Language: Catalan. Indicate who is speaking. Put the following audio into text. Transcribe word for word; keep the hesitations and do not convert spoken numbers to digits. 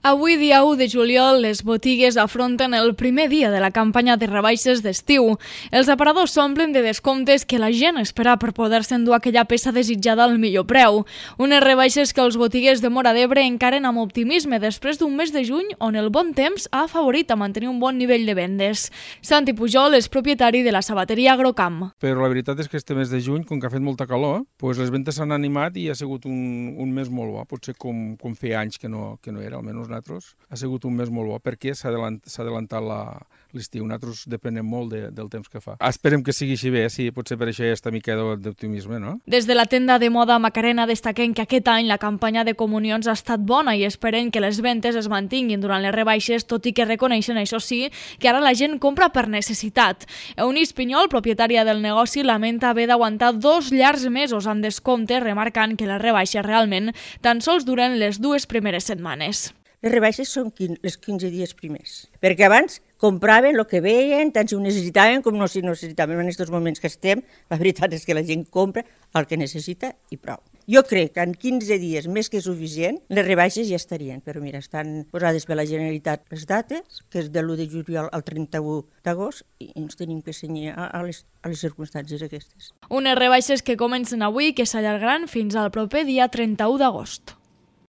Speaker 1: Avui, dia u de juliol, les botigues afronten el primer dia de la campanya de rebaixes d'estiu. Els aparadors s'omplen de descomptes que la gent espera per poder-se endur aquella peça desitjada al millor preu. Unes rebaixes que els botiguers de Móra d'Ebre encaren amb optimisme després d'un mes de juny on el bon temps ha afavorit a mantenir un bon nivell de vendes. Santi Pujol és propietari de la sabateria Agrocamp.
Speaker 2: Però la veritat és que este mes de juny, com que ha fet molta calor, doncs les ventes s'han animat i ha sigut un, un mes molt bo, potser com, com feia anys que no, que no era, almenys nosaltres. Ha sigut un mes molt bo perquè s'ha adelantat l'estiu. Nosaltres depenem molt de, del temps que fa. Esperem que sigui així bé, sí, potser per això hi ha aquesta mica d'optimisme, no?
Speaker 1: Des de la tenda de moda Macarena destaquem que aquest any la campanya de comunions ha estat bona i esperen que les ventes es mantinguin durant les rebaixes, tot i que reconeixen, això sí, que ara la gent compra per necessitat. Eunice Pinyol, propietària del negoci, lamenta haver d'aguantar dos llargs mesos amb descompte, remarcant que les rebaixes realment tan sols duren les dues primeres setmanes.
Speaker 3: Les rebaixes són els quinze dies primers, perquè abans compraven el que veien, tant si ho necessitaven com no si ho necessitaven. En aquests moments que estem, la veritat és que la gent compra el que necessita i prou. Jo crec que en quinze dies, més que suficient, les rebaixes ja estarien, però mira, estan posades per la Generalitat les dates, que és de l'u de juliol al trenta-u d'agost, i ens tenim que cenyir a les, a les circumstàncies aquestes.
Speaker 1: Unes rebaixes que comencen avui i que s'allargaran fins al proper dia trenta-u d'agost.